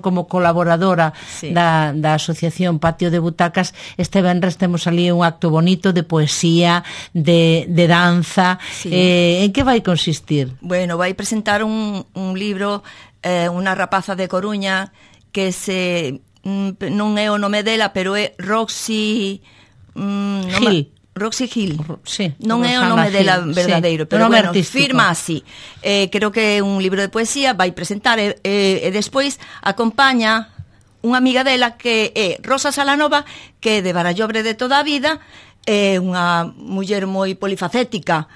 como colaboradora da Asociación Patio de Butacas, este venres temos ali un acto bonito de poesía, de danza. En que vai consistir? Bueno, vai presentar un libro, unha rapaza de Coruña que non é o nome dela, pero é Roxy Gil. Roxy Gil. Sí, non é o nome dela verdadeiro, pero bueno, firma así. Creo que é un libro de poesía, vai presentar e despois acompaña unha amiga dela que é Rosa Salanova, que é de Barallobre de toda a vida, é unha muller moi polifacética,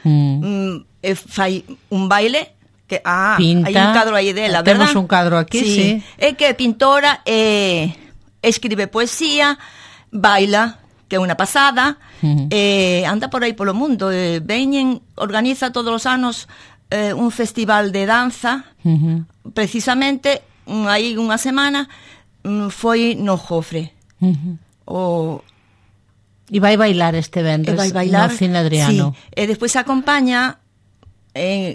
fai un baile que pinta, hai un cadro aí dela, verdad? Temos un cadro aquí, sí. É que é pintora, escribe poesía, baila, que é unha pasada, anda por aí polo mundo, organiza todos os anos un festival de danza, precisamente aí unha semana foi no Jofre. E vai bailar este venres no Cine Adriano. Sí. E despois acompaña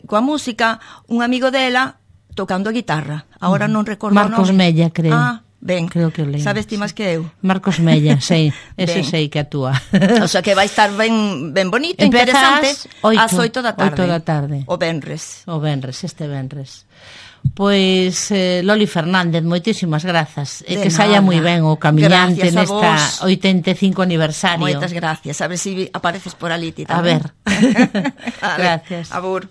coa música un amigo dela tocando a guitarra. Agora non recordo Marcos Mella, creo. Ben, creo que o leio. Sabes ti máis que eu? Marcos Mella, sei, ese sei que actúa. O sea que vai estar ben bonito, interesante, ás 8 da tarde. O venres, este venres. Pois, Loli Fernández, moitísimas grazas. E que saia moi ben o camiñante nesta 85 aniversario. Moitas gracias. A ver se apareces por ali ti A tamén. ver. Gracias. Abur.